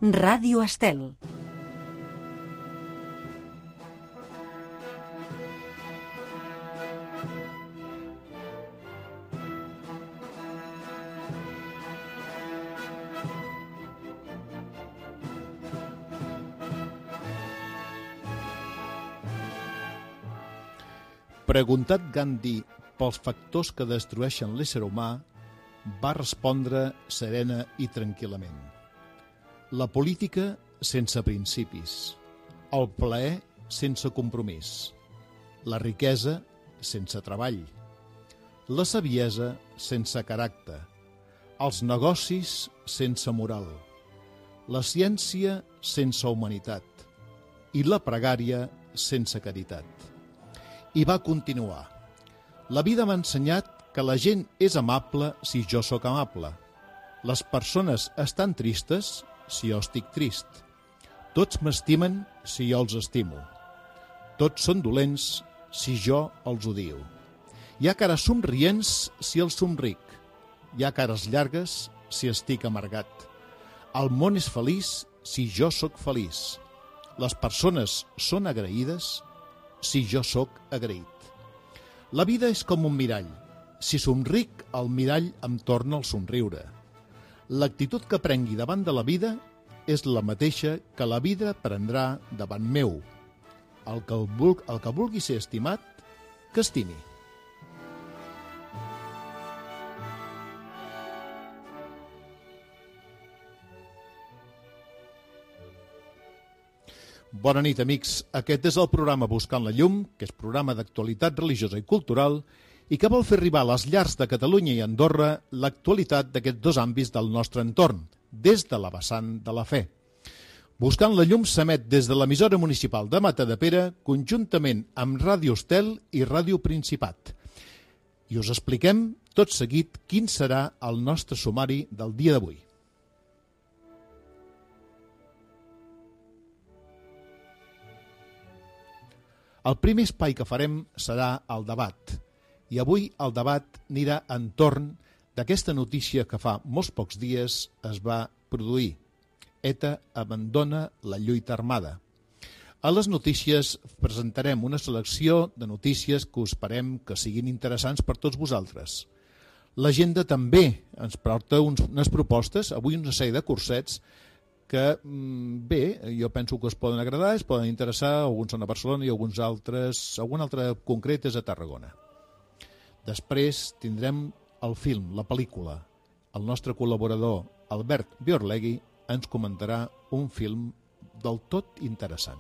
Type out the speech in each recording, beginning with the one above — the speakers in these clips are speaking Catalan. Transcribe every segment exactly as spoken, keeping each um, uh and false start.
Ràdio Estel. Preguntat Gandhi pels factors que destrueixen l'ésser humà, va respondre serena i tranquil·lament. La política sense principis, el plaer sense compromís, la riquesa sense treball, la saviesa sense caràcter, els negocis sense moral, la ciència sense humanitat i la pregària sense caritat. I va continuar. La vida m'ha ensenyat que la gent és amable si jo sóc amable. Les persones estan tristes si jo estic trist. Tots m'estimen si jo els estimo. Tots són dolents si jo els odio. Hi ha cares somrients si els somric. Hi ha cares llargues si estic amargat. El món és feliç si jo sóc feliç. Les persones són agraïdes si jo sóc agraït. La vida és com un mirall. Si somric, el mirall em torna el somriure. L'actitud que prengui davant de la vida és la mateixa que la vida prendrà davant meu. El que, el vulgui, el que vulgui ser estimat, que estimi. Bona nit, amics. Aquest és el programa Buscant la Llum, que és programa d'actualitat religiosa i cultural i que vol fer arribar a les llars de Catalunya i Andorra l'actualitat d'aquests dos àmbits del nostre entorn, des de la vessant de la fe. Buscant la Llum s'emet des de l'emissora municipal de Matadepera, conjuntament amb Ràdio Estel i Ràdio Principat. I us expliquem tot seguit quin serà el nostre sumari del dia d'avui. El primer espai que farem serà el debat. I avui el debat anirà entorn d'aquesta notícia que fa molts pocs dies es va produir. ETA abandona la lluita armada. A les notícies presentarem una selecció de notícies que us esperem que siguin interessants per tots vosaltres. L'agenda també ens porta uns, unes propostes, avui una sèrie de cursets que, bé, jo penso que us poden agradar, es poden interessar, alguns són a Barcelona i alguns altres, algun altre concret és a Tarragona. Després tindrem el film, la pel·lícula. El nostre col·laborador, Albert Biorlegui, ens comentarà un film del tot interessant.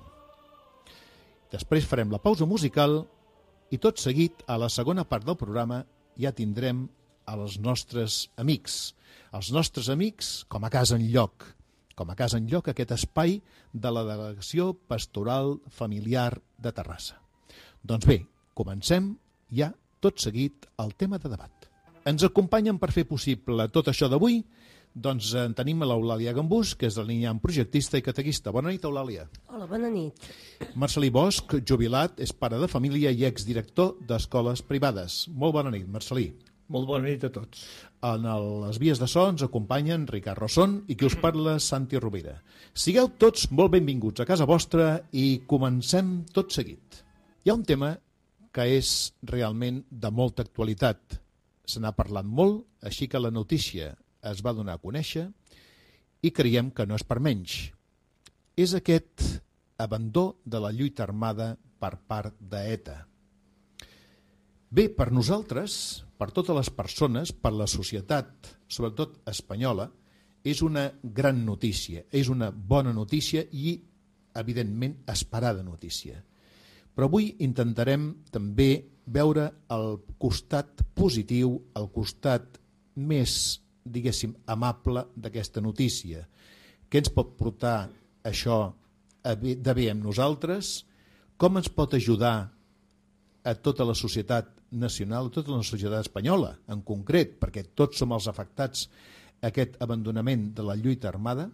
Després farem la pausa musical i tot seguit, a la segona part del programa, ja tindrem els nostres amics. Els nostres amics com a casa enlloc. com a casa enlloc aquest espai de la Delegació Pastoral Familiar de Terrassa. Doncs bé, comencem ja tot seguit el tema de debat. Ens acompanyen per fer possible tot això d'avui, doncs en tenim l'Eulàlia Gambús, que és delineant projectista i catequista. Bona nit, Eulàlia. Hola, bona nit. Marcelí Bosch, jubilat, és pare de família i exdirector d'escoles privades. Molt bona nit, Marcelí. Molt bona nit a tots. En les vies de so ens acompanyen Ricard Rosson i qui us parla, Santi Rovira. Sigueu tots molt benvinguts a casa vostra i comencem tot seguit. Hi ha un tema que és realment de molta actualitat. Se n'ha parlat molt, així que la notícia es va donar a conèixer i creiem que no és per menys. És aquest abandó de la lluita armada per part d'ETA. Bé, per nosaltres, per totes les persones, per la societat, sobretot espanyola, és una gran notícia, és una bona notícia i, evidentment, esperada notícia. Però avui intentarem també veure el costat positiu, el costat més, diguéssim, amable d'aquesta notícia. Què ens pot portar això de bé amb nosaltres? Com ens pot ajudar a tota la societat nacional, a tota la societat espanyola, en concret, perquè tots som els afectats a aquest abandonament de la lluita armada,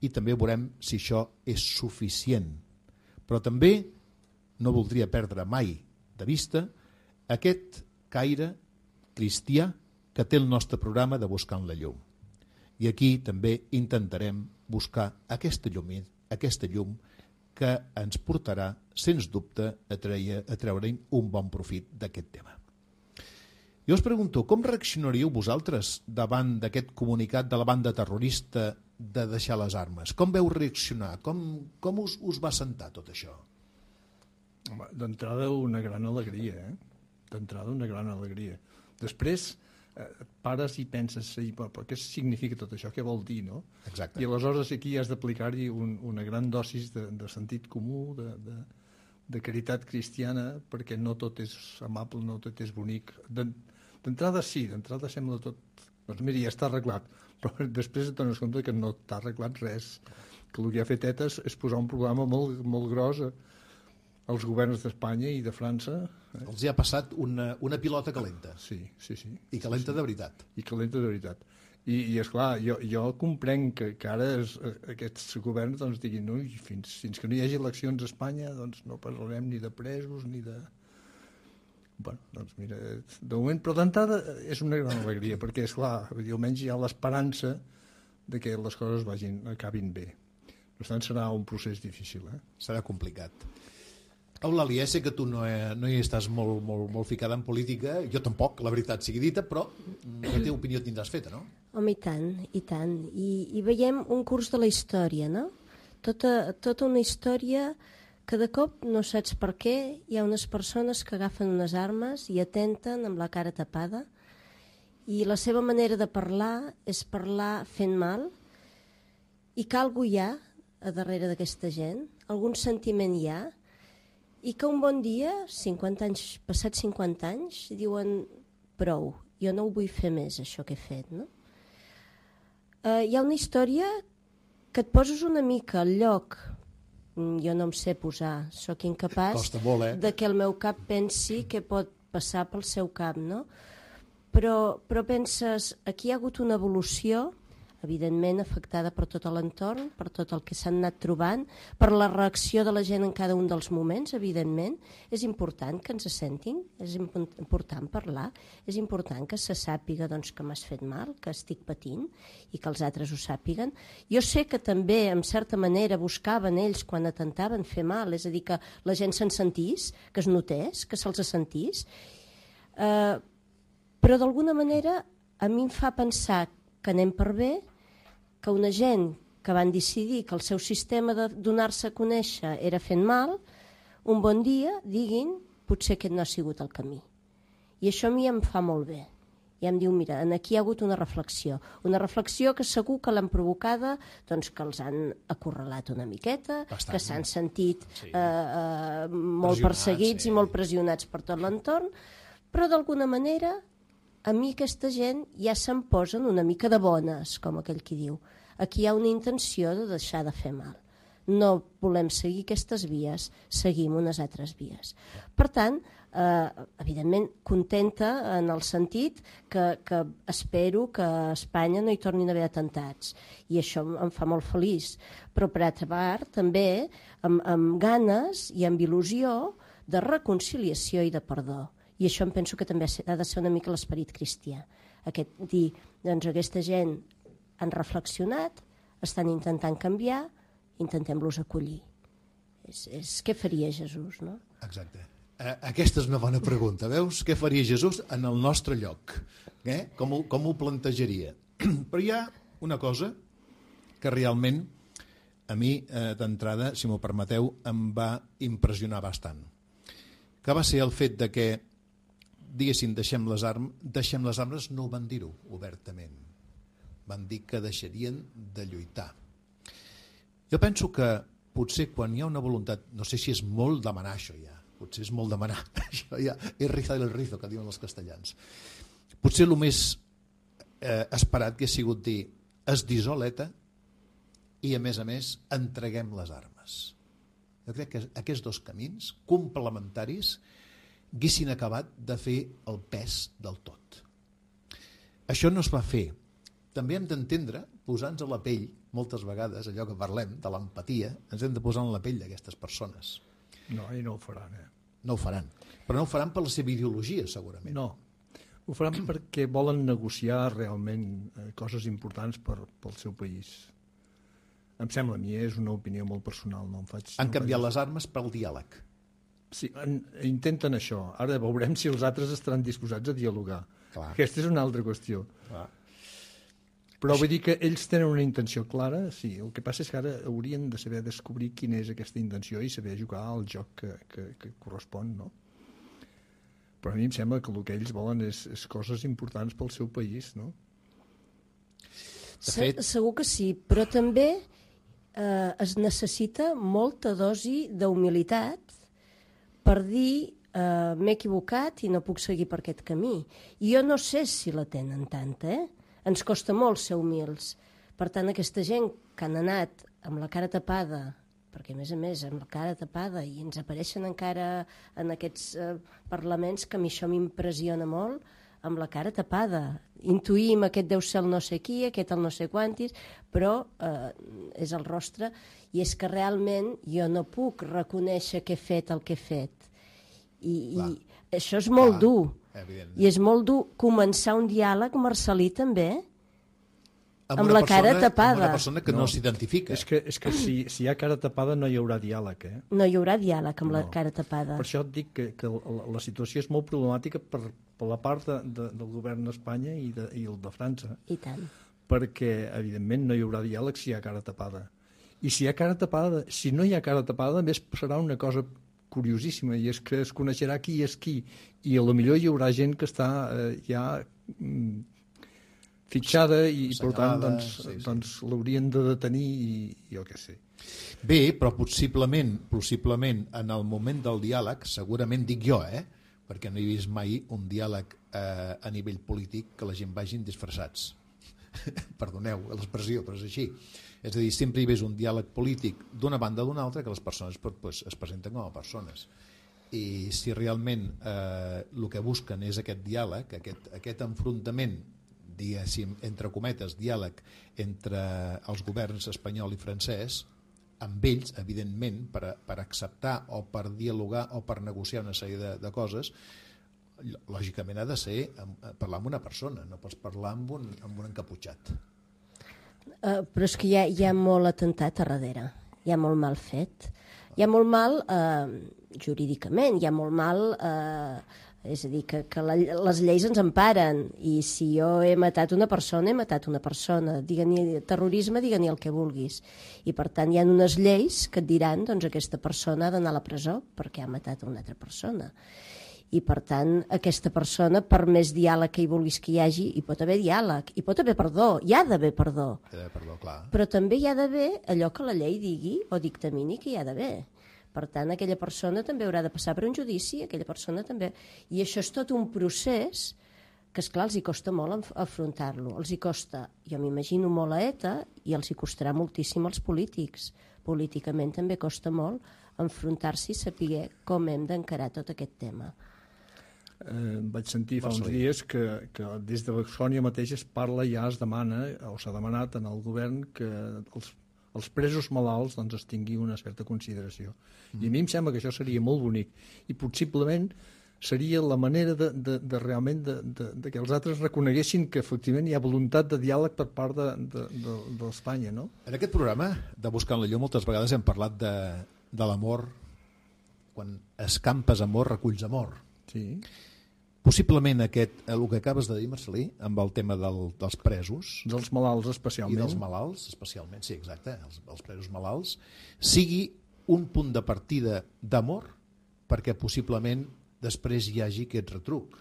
i també veurem si això és suficient. Però també no voldria perdre mai de vista aquest caire cristià que té el nostre programa de Buscant la Llum. I aquí també intentarem buscar aquesta llum, aquesta llum que ens portarà, sens dubte, a treure, a treure un bon profit d'aquest tema. Jo us pregunto, com reaccionaríeu vosaltres davant d'aquest comunicat de la banda terrorista de deixar les armes? Com veu reaccionar? Com, com us, us va sentar tot això? D'entrada una gran alegria, eh? D'entrada una gran alegria. Després eh, pares i penses, sí, però, però què significa tot això? Què vol dir, no? Exacte. I aleshores aquí has d'aplicar-hi un, una gran dosis de, de sentit comú, de, de, de caritat cristiana, perquè no tot és amable, no tot és bonic. D'entrada sí, d'entrada sembla tot... Doncs mira, ja està arreglat, però després et dones compte que no t'ha arreglat res, que el que ha fet ETA és, és posar un programa molt, molt gros als governs d'Espanya i de França. Eh? Els hi ha passat una, una pilota calenta. Sí, sí, sí. I calenta sí, sí. de veritat. I calenta de veritat. I, i esclar, jo, jo comprenc que, que ara es, aquests governs doncs, diguin no, fins, fins que no hi hagi eleccions a Espanya doncs no parlarem ni de presos ni de... Bueno, doncs mira, de moment, però d'entrada és una gran alegria, perquè, esclar, almenys hi ha l'esperança de que les coses vagin, acabin bé. Per tant, serà un procés difícil. Eh? Serà complicat. Eulàlia, sé que tu no, he, no hi estàs molt, molt, molt ficada en política, jo tampoc, la veritat sigui dita, però la teva opinió tindràs feta, no? Home, i tant, i tant. I, i veiem un curs de la història, no? Tota, tota una història que de cop no saps per què hi ha unes persones que agafen unes armes i atenten amb la cara tapada i la seva manera de parlar és parlar fent mal i que algú hi ha a darrere d'aquesta gent, algun sentiment hi ha i que un bon dia, cinquanta anys, passats cinquanta anys, diuen prou, jo no ho vull fer més això que he fet, no? Uh, hi ha una història que et poses una mica al lloc, jo no em sé posar, sóc incapaç molt, eh? de que el meu cap pensi què pot passar pel seu cap, no? Però, però penses, aquí hi ha hagut una evolució, evidentment afectada per tot l'entorn, per tot el que s'han anat trobant, per la reacció de la gent en cada un dels moments, evidentment. És important que ens sentin, és important parlar, és important que se sàpiga doncs, que m'has fet mal, que estic patint i que els altres ho sàpiguen. Jo sé que també, en certa manera, buscaven ells quan atentaven fer mal, és a dir, que la gent se'n sentís, que es notés, que se'ls sentís, eh, però d'alguna manera a mi em fa pensar que anem per bé, que una gent que van decidir que el seu sistema de donar-se a conèixer era fent mal, un bon dia diguin potser aquest no ha sigut el camí. I això a mi em fa molt bé. I em diu, mira, aquí hi ha hagut una reflexió. Una reflexió que segur que l'han provocada, doncs que els han acorralat una miqueta, Bastant, que s'han sentit sí. eh, eh, molt perseguits sí. i molt pressionats per tot l'entorn, però d'alguna manera a mi aquesta gent ja se'm posen una mica de bones, com aquell qui diu. Aquí hi ha una intenció de deixar de fer mal. No volem seguir aquestes vies, seguim unes altres vies. Per tant, eh, evidentment, contenta en el sentit que, que espero que a Espanya no hi tornin a haver atemptats. I això em fa molt feliç. Però, per altra part, també amb, amb ganes i amb il·lusió de reconciliació i de perdó. I això em penso que també ha de ser una mica l'esperit cristià. Aquest dir, doncs aquesta gent han reflexionat, estan intentant canviar, intentem-los acollir. És, és què faria Jesús, no? Exacte. Aquesta és una bona pregunta, veus? Què faria Jesús en el nostre lloc? Eh? Com, ho, com ho plantejaria? Però hi ha una cosa que realment a mi, eh, d'entrada, si m'ho permeteu, em va impressionar bastant. Que va ser el fet de que diguéssim, deixem les armes, deixem les armes, no ho van dir-ho obertament. Van dir que deixarien de lluitar. Jo penso que potser quan hi ha una voluntat, no sé si és molt demanar això ja, potser és molt demanar, això ja és rizar el rizo, que diuen els castellans. Potser el més eh, esperat que ha sigut dir es dissol ETA i a més a més entreguem les armes. Jo crec que aquests dos camins complementaris haguessin acabat de fer el pes del tot. Això no es va fer. També hem d'entendre, posar-nos a la pell, moltes vegades, allò que parlem, de l'empatia, ens hem de posar en la pell d'aquestes persones. No, i no ho faran, eh? No ho faran. Però no ho faran per la seva ideologia, segurament. No. Ho faran perquè volen negociar realment eh, coses importants per, pel seu país. Em sembla a mi, és una opinió molt personal. No em faig, Han no canviat faig... les armes pel diàleg. Sí, en, intenten això. Ara veurem si els altres estaran disposats a dialogar. Clar. Aquesta és una altra qüestió. Clar. Però vull dir que ells tenen una intenció clara, sí. El que passa és que ara haurien de saber descobrir quina és aquesta intenció i saber jugar al joc que, que, que correspon, no? Però a mi em sembla que el que ells volen és, és coses importants pel seu país, no? De fet... Segur que sí, però també eh, es necessita molta dosi d'humilitat per dir eh, m'he equivocat i no puc seguir per aquest camí. I jo no sé si la tenen tanta, eh? Ens costa molt ser humils. Per tant, aquesta gent que han anat amb la cara tapada, perquè a més a més amb la cara tapada i ens apareixen encara en aquests eh, parlaments, que a mi això m'impressiona molt, amb la cara tapada. Intuïm aquest deu ser el no sé qui, aquest el no sé quantis, però eh, és el rostre, i és que realment jo no puc reconèixer que he fet el que he fet. I, i això és molt Clar. dur. I és molt dur començar un diàleg, Marcelí, també, amb, amb la persona, cara tapada. Amb una persona que no, no s'identifica. És que, és que si, si hi ha cara tapada no hi haurà diàleg, eh? No hi haurà diàleg amb no. la cara tapada. Per això et dic que, que la, la situació és molt problemàtica per, per la part de, de, del govern d'Espanya i, de, i el de França. I tant. Perquè, evidentment, no hi haurà diàleg si hi ha cara tapada. I si hi ha cara tapada, si no hi ha cara tapada, més serà una cosa curiosíssima, i és que es coneixerà qui és qui, i a lo millor hi haurà gent que està eh, ja mm, fitxada i, per tant, doncs, sí, sí. doncs l'haurien de detenir i jo què sé. Bé, però possiblement, possiblement en el moment del diàleg, segurament dic jo, eh? perquè no he vist mai un diàleg eh, a nivell polític que la gent vagin disfressats. Perdoneu l'expressió, però és així. És a dir, sempre hi ves un diàleg polític d'una banda o d'una altra que les persones pues, es presenten com a persones. I si realment eh, el que busquen és aquest diàleg, aquest, aquest enfrontament, diguéssim, entre cometes, diàleg entre els governs espanyol i francès, amb ells, evidentment, per, per acceptar o per dialogar o per negociar una sèrie de, de coses, lògicament ha de ser parlar amb una persona, no pots parlar amb un, amb un encaputxat. Uh, però és que hi ha, hi ha molt atemptat a darrere, hi ha molt mal fet, hi ha molt mal uh, jurídicament, hi ha molt mal, uh, és a dir, que, que la, les lleis ens emparen, i si jo he matat una persona, he matat una persona, digue-n'hi terrorisme, digue-n'hi el que vulguis, i per tant hi ha unes lleis que et diran, doncs aquesta persona ha d'anar a la presó perquè ha matat una altra persona. I per tant aquesta persona, per més diàleg que hi vulguis que hi hagi, hi pot haver diàleg, hi pot haver perdó, hi ha d'haver perdó, ha d'haver perdó, clar. Però també hi ha d'haver allò que la llei digui o dictamini que hi ha d'haver. Per tant, aquella persona també haurà de passar per un judici, aquella persona també, i això és tot un procés que, esclar, els hi costa molt afrontar-lo, els hi costa, jo m'imagino, molt a ETA, i els hi costarà moltíssim als polítics. Políticament també costa molt enfrontar-s'hi i saber com hem d'encarar tot aquest tema. Eh, vaig sentir fa uns dies que, que des de Valsònia mateix es parla, ja es demana o s'ha demanat en el govern que els, els presos malalts doncs, es tingui una certa consideració. Mm. I a mi em sembla que això seria molt bonic i possiblement seria la manera de, de, de realment de, de, de que els altres reconeguessin que efectivament hi ha voluntat de diàleg per part de, de, de, d'Espanya, no? En aquest programa de Buscant la Llum moltes vegades hem parlat de, de l'amor. Quan escampes amor reculls amor. Sí. Possiblement aquest, el que acabes de dir, Marcelí, amb el tema del, dels presos... Dels malalts, especialment. I dels malalts, especialment, sí, exacte, els, els presos malalts, sigui un punt de partida d'amor perquè possiblement després hi hagi aquest retruc.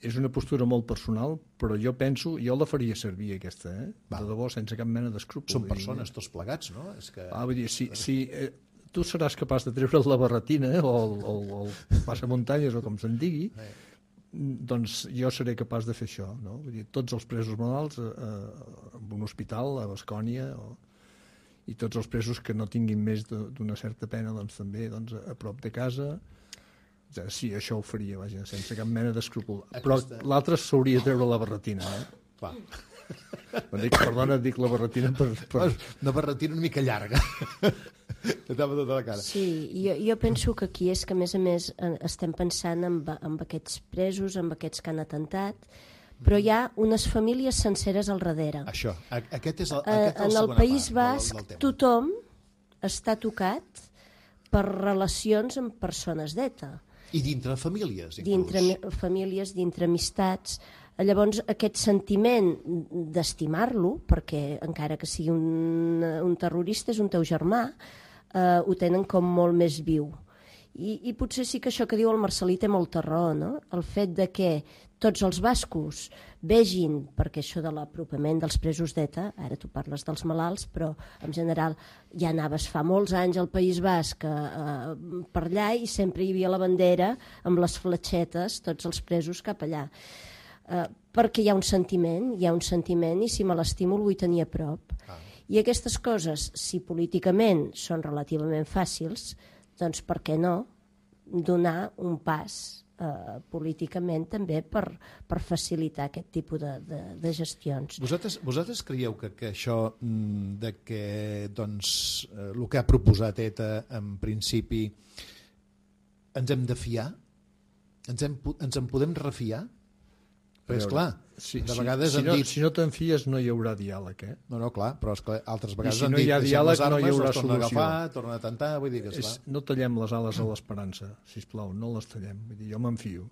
És una postura molt personal, però jo penso, jo la faria servir aquesta, eh? Va. De debò, sense cap mena d'escrúpol. Són persones tots plegats, no? És que... Ah, vull dir, si, si eh, tu seràs capaç de treure la barretina eh, o el, o, o el passamuntanyes o com se'n digui, eh. doncs jo seré capaç de fer això, no? Vull dir, tots els presos malalts eh, en un hospital a Bascònia o, i tots els presos que no tinguin més d'una certa pena doncs també doncs, a prop de casa. Ja, sí, això ho faria, vaja, sense cap mena d'escrúpol. Però l'altre s'hauria de treure la barretina, eh? Clar. Dic, perdona, dic la barretina per... per... Una barretina una mica llarga. Et tapa tota la cara. Sí, jo, jo penso que aquí és que, a més a més, estem pensant en, en aquests presos, en aquests que han atentat, però hi ha unes famílies senceres al darrere. Això, aquest és el, aquest aquest és el en el País Basc, del, del tothom està tocat per relacions amb persones d'ETA. I dintre famílies, inclús. Dintre famílies, dintre amistats. Llavors, aquest sentiment d'estimar-lo, perquè encara que sigui un, un terrorista, és un teu germà, eh, ho tenen com molt més viu. I, I potser sí que això que diu el Marcelí té molta raó, no? El fet de que tots els bascos vegin, perquè això de l'apropament dels presos d'ETA, ara tu parles dels malalts, però en general ja anaves fa molts anys al País Basc eh, per allà i sempre hi havia la bandera amb les fletxetes, tots els presos cap allà. Eh, perquè hi ha un sentiment, hi ha un sentiment i si me l'estimo el vull tenir a prop. Ah. I aquestes coses, si políticament són relativament fàcils, doncs per què no donar un pas eh, políticament també per, per facilitar aquest tipus de, de, de gestions. Vosaltres, vosaltres creieu que, que això de que doncs, eh, el que ha proposat ETA en principi ens hem de fiar? Ens, hem, ens en podem refiar? Però és clar, si, de si, vegades si, han no, dit... si no te'n fies no hi haurà diàleg, eh? No, no, clar, però és que altres vegades si han no dit hi ha diàleg, les armes, no hi haurà les tornen a solució. agafar, tornen a atentar, vull dir que és, no tallem les ales a l'esperança, sisplau, no les tallem, vull dir, jo m'enfio.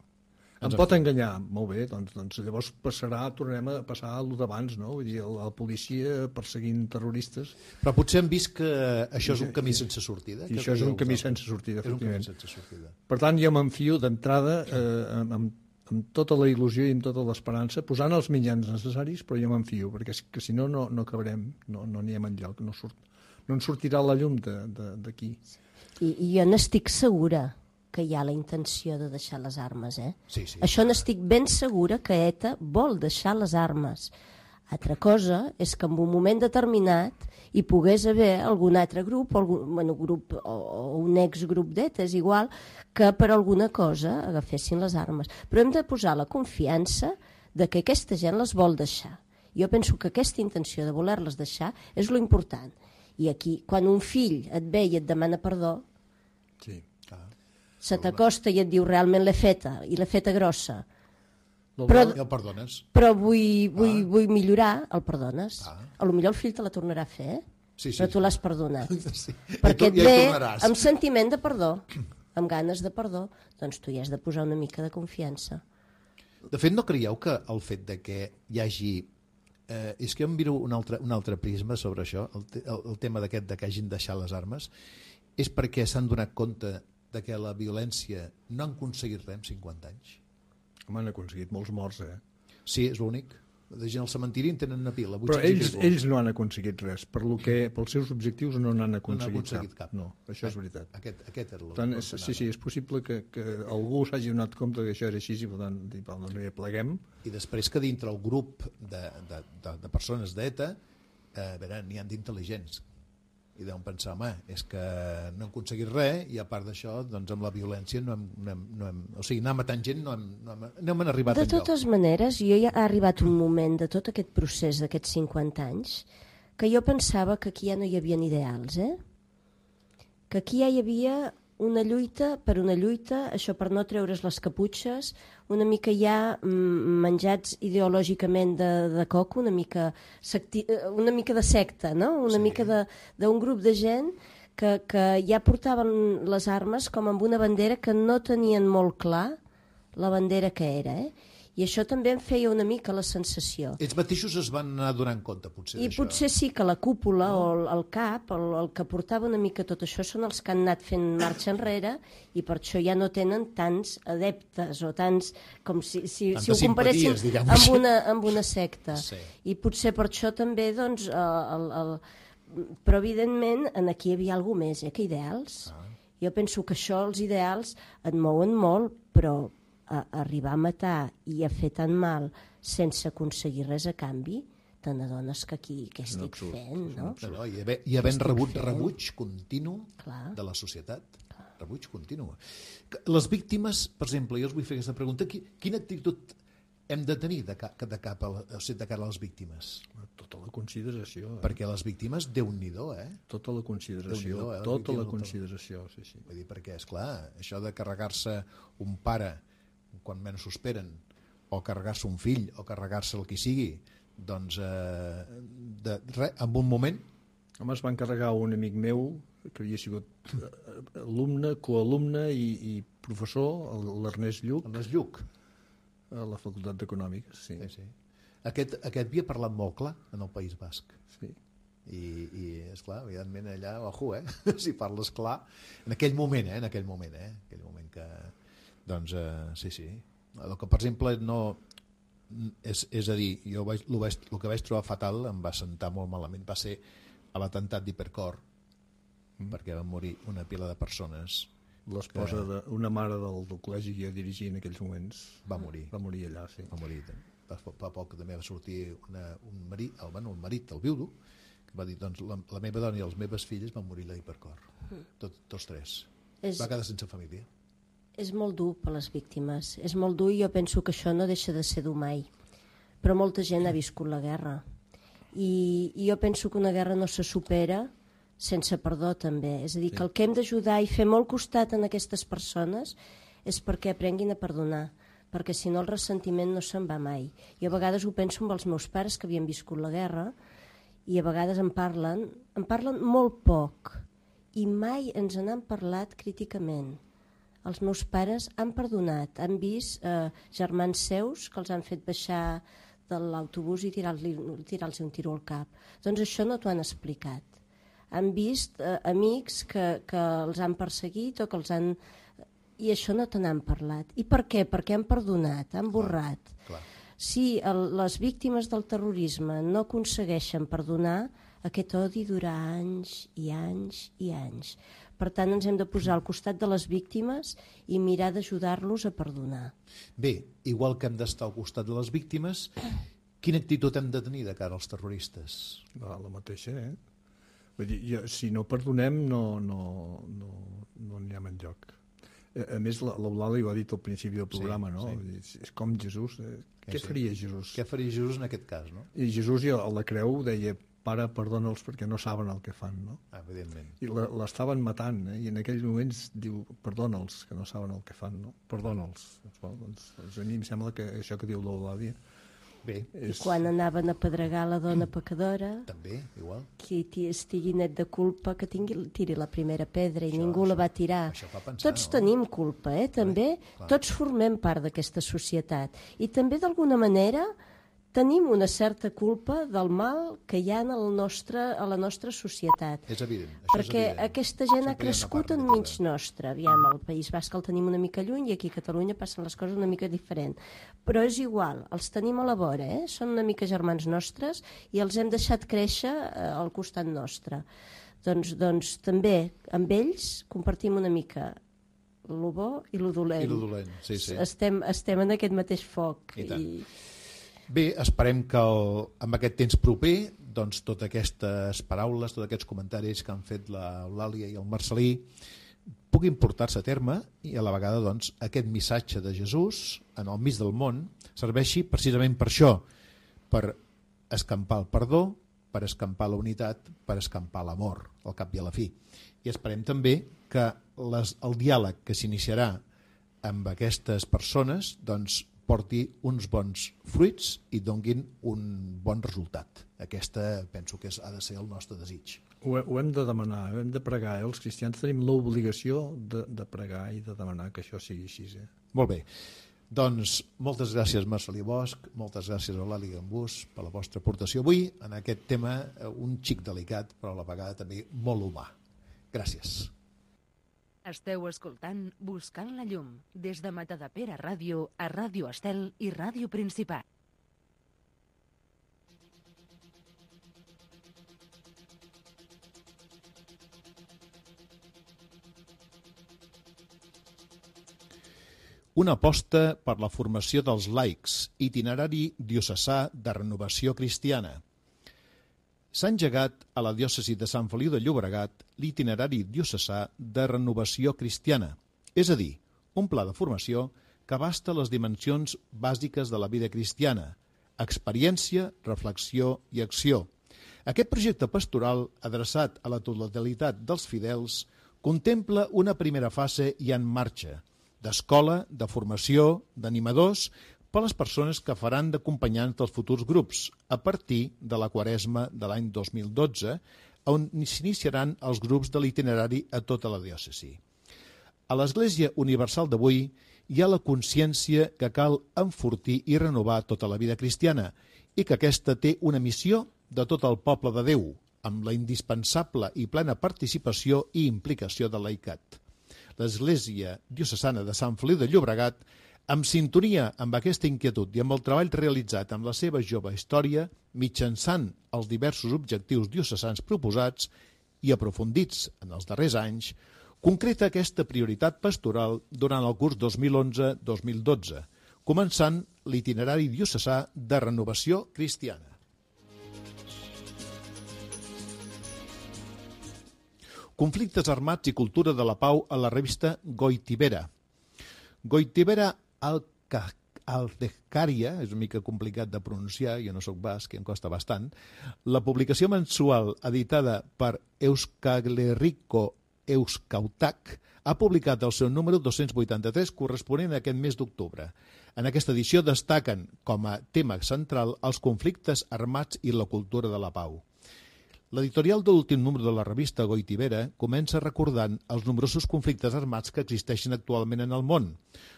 Em Ens pot enganyar, molt bé, doncs, doncs llavors passarà, tornarem a passar a lo d'abans, no? Vull dir, la policia perseguint terroristes. Però potser hem vist que això és un camí sense sortida. I això és un camí sense sortida, efectivament. sense sortida. Per tant, jo m'enfio d'entrada eh, amb, amb tota la il·lusió i amb tota l'esperança, posant els mitjans necessaris, però jo m'enfio, perquè que, si no, no, no acabarem, no anirem no enlloc, no, surt, no ens sortirà la llum d'aquí. I, I jo n'estic segura que hi ha la intenció de deixar les armes, eh? Sí, sí. Això n'estic ben segura que ETA vol deixar les armes. Altra cosa és que en un moment determinat hi pogués haver algun altre grup, o, algun, bueno, grup o, o un exgrup d'ETA, és igual, que per alguna cosa agafessin les armes. Però hem de posar la confiança de que aquesta gent les vol deixar. Jo penso que aquesta intenció de voler-les deixar és lo important. I aquí, quan un fill et ve i et demana perdó, sí, se t'acosta i et diu realment l'he feta, i l'he feta grossa, però, i el perdones. Però vull, vull, ah. vull millorar, el perdones. Ah. A lo millor el fill te la tornarà a fer, eh? Sí, sí, però tu sí. l'has perdonat. Sí. Perquè tu, et ja ve amb sentiment de perdó, amb ganes de perdó, doncs tu hi has de posar una mica de confiança. De fet, no creieu que el fet de que hi hagi... Eh, és que jo em miro un altre, un altre prisma sobre això, el, el, el tema d'aquest de que hagin deixat les armes, és perquè s'han donat compte de que la violència no han aconseguit res en cinquanta anys. Home, han aconseguit molts morts, eh? Sí, és l'únic. De gent al cementiri en tenen una pila. Però ells, ells no han aconseguit res. Per lo que, pels seus objectius no n'han aconseguit, no aconseguit cap. cap. No, això és veritat. Aquest, aquest era tant, és, sí, sí, és possible que, que algú s'hagi donat compte que això era així i per tant, no hi pleguem. I després que dintre el grup de, de, de, de persones d'ETA eh, a veure, n'hi ha d'intel·ligents i deuen pensar, home, és que no hem aconseguit res i a part d'això, doncs amb la violència no hem, no hem, no hem, o sigui, anar matant gent no hem, no hem, no hem arribat de enlloc. De totes maneres, jo ja ha arribat un moment de tot aquest procés d'aquests cinquanta anys que jo pensava que aquí ja no hi havia ideals, eh? Que aquí ja hi havia una lluita per una lluita, això per no treure's les caputxes, una mica ja menjats ideològicament de, de coco, una mica, secti, una mica de secta, no? Una sí. mica d'un grup de gent que, que ja portaven les armes com amb una bandera que no tenien molt clar la bandera que era, eh? I això també em feia una mica la sensació. Ells mateixos es van anar donant compte, potser, I d'això. potser sí que la cúpula no. o el, el cap, el, el que portava una mica tot això, són els que han anat fent marxa enrere i per això ja no tenen tants adeptes o tants... com si, si, si ho comparessin amb una, amb una secta. Sí. I potser per això també, doncs... El, el, el... Però, evidentment, aquí hi havia alguna més, eh, que ideals. Ah. Jo penso que això, els ideals, et mouen molt, però... A arribar a matar i a fer tan mal sense aconseguir res a canvi, te n'adones que aquí què estic absurd, fent, no? no, no I haver, i havent rebut fent? rebuig continu Clar. de la societat. Clar. Rebuig continu. Les víctimes, per exemple, jo us vull fer aquesta pregunta, quina actitud hem de tenir de, ca, de, cap a, o sigui, de cara a les víctimes? Tota la consideració. Eh? Perquè les víctimes, Déu-n'hi-do, eh? Tota la consideració, eh? tota la consideració, sí, sí. Vull dir, perquè, esclar, això de carregar-se un pare quan menys s'ho esperen, o carregar-se un fill, o carregar-se el qui sigui, doncs, eh, de, re, en un moment... Home, es va encarregar un amic meu, que havia sigut alumne, coalumne i, i professor, l'Ernest Lluc. Ernest Lluc. A la Facultat d'Econòmiques, sí. sí, sí. Aquest, aquest havia parlat molt clar en el País Basc. Sí. I, i esclar, evidentment allà, ojo, eh? si parles clar, en aquell moment, eh? En aquell moment, eh? En aquell moment que... Doncs, eh, sí, sí. El que, per exemple, no... És, és a dir, jo vaig, el, vaig, el que vaig trobar fatal, em va sentar molt malament, va ser a l'atemptat d'Hipercor, mm. perquè van morir una pila de persones. L'esposa que... d'una mare del, del col·legi que jo dirigia en aquells moments va morir. Va morir allà, sí. Va morir. Fa, fa poc també va sortir una, un marit, el, bueno, el marit, el viudo, que va dir, doncs, la, la meva dona i les meves filles van morir a l'Hipercor. Mm. Tot, tots tres. És... Va quedar sense família. És molt dur per les víctimes. És molt dur i jo penso que això no deixa de ser dur mai. Però molta gent ha viscut la guerra. I, i jo penso que una guerra no se supera sense perdó també, és a dir, sí. que el que hem d'ajudar i fer molt costat en aquestes persones és perquè aprenguin a perdonar, perquè si no el ressentiment no se'n va mai. Jo a vegades ho penso amb els meus pares que havien viscut la guerra i a vegades en parlen, en parlen molt poc i mai ens n'han parlat críticament. Els meus pares han perdonat, han vist eh, germans seus que els han fet baixar de l'autobús i tirar-los tirar un tiro al cap. Doncs això no t'ho han explicat. Han vist eh, amics que, que els han perseguit o que els han... I això no te n'han parlat. I per què? Perquè han perdonat, han borrat. Clar, clar. Si el, les víctimes del terrorisme no aconsegueixen perdonar, aquest odi durarà anys i anys i anys. Per tant, ens hem de posar al costat de les víctimes i mirar d'ajudar-los a perdonar. Bé, igual que hem d'estar al costat de les víctimes, quina actitud hem de tenir de cara als terroristes? La, la mateixa, eh? Vull dir, jo, si no perdonem, no no, no, no anirem enlloc. A, a més, l'Eulàlia ho ha dit al principi del programa, sí, no? Sí. Dir, és com Jesús. Eh? Què sí. faria Jesús? Què faria Jesús en aquest cas, no? I Jesús a la creu deia, pare, perdona'ls perquè no saben el que fan, no? Ah, evidentment. I l'estaven matant, eh? I en aquells moments diu, perdona'ls, que no saben el que fan, no? Perdona'ls. Bueno, doncs, doncs a mi em sembla que això que diu l'Eulàlia... Bé. És... I quan anaven a pedregar la dona pecadora... També, igual. Qui estigui net de culpa, que tingui, tiri la primera pedra i això, ningú això, la va tirar. Pensar, Tots no? tenim culpa, eh? També. Clar, clar. Tots formem part d'aquesta societat. I també, d'alguna manera... tenim una certa culpa del mal que hi ha en el nostre, a la nostra societat. És evident. Això Perquè és evident. aquesta gent Sempre ha crescut enmig nostre. Aviam, al País Basc el tenim una mica lluny i aquí a Catalunya passen les coses una mica diferent. Però és igual, els tenim a la vora, eh? Són una mica germans nostres i els hem deixat créixer eh, al costat nostre. Doncs, doncs també amb ells compartim una mica lo bo i lo dolent. I lo dolent, sí, sí. Estem, estem en aquest mateix foc. I tant. I... Bé, esperem que el, amb aquest temps proper, doncs totes aquestes paraules, tots aquests comentaris que han fet l'Eulàlia i el Marcelí puguin portar-se a terme i a la vegada doncs, aquest missatge de Jesús en el mig del món serveixi precisament per això, per escampar el perdó, per escampar la unitat, per escampar l'amor, al cap i a la fi. I esperem també que les, el diàleg que s'iniciarà amb aquestes persones doncs, porti uns bons fruits i donguin un bon resultat. Aquesta penso que és, ha de ser el nostre desig. Ho, ho hem de demanar, hem de pregar. Eh? Els cristians tenim l'obligació de, de pregar i de demanar que això sigui així. Eh? Molt bé. Doncs moltes gràcies Marcelí Bosch, moltes gràcies Eulàlia Gambús per la vostra aportació avui en aquest tema un xic delicat però a la vegada també molt humà. Gràcies. Esteu escoltant Buscant la llum des de Matadepera Ràdio a Ràdio Estel i Ràdio Principat. Una aposta per la formació dels laics, itinerari diocesà de renovació cristiana. S'ha engegat a la diòcesi de Sant Feliu de Llobregat l'itinerari diocesà de renovació cristiana, és a dir, un pla de formació que abasta les dimensions bàsiques de la vida cristiana: experiència, reflexió i acció. Aquest projecte pastoral, adreçat a la totalitat dels fidels, contempla una primera fase ja en marxa, d'escola, de formació, d'animadors, per a les persones que faran d'acompanyants dels futurs grups, a partir de la Quaresma de l'any dos mil dotze, on s'iniciaran els grups de l'itinerari a tota la diòcesi. A l'Església Universal d'avui hi ha la consciència que cal enfortir i renovar tota la vida cristiana i que aquesta té una missió de tot el poble de Déu, amb la indispensable i plena participació i implicació del laicat. L'Església Diocesana de Sant Feliu de Llobregat, amb sintonia amb aquesta inquietud i amb el treball realitzat amb la seva jove història, mitjançant els diversos objectius diocesans proposats i aprofundits en els darrers anys, concreta aquesta prioritat pastoral durant el curs dos mil onze dos mil dotze, començant l'itinerari diocesà de renovació cristiana. Conflictes armats i cultura de la pau a la revista Goitibera. Goitibera Aldeccaria, és una mica complicat de pronunciar, jo no soc basc i em costa bastant, la publicació mensual editada per Euskal-Herriko Euskautak ha publicat el seu número dos-cents vuitanta-tres corresponent a aquest mes d'octubre. En aquesta edició destaquen com a tema central els conflictes armats i la cultura de la pau. L'editorial de l'últim número de la revista Goitibera comença recordant els nombrosos conflictes armats que existeixen actualment en el món.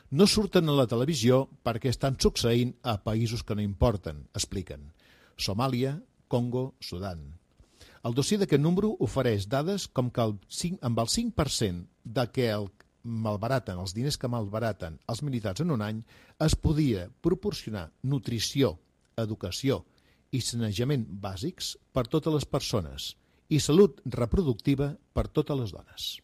No surten a la televisió perquè estan succeint a països que no importen, expliquen. Somàlia, Congo, Sudan. El dossier d'aquest número ofereix dades com que el cinc, amb el cinc per cent de què el malbaraten, els diners que malbaraten els militars en un any, es podia proporcionar nutrició, educació i sanejament bàsics per totes les persones i salut reproductiva per totes les dones.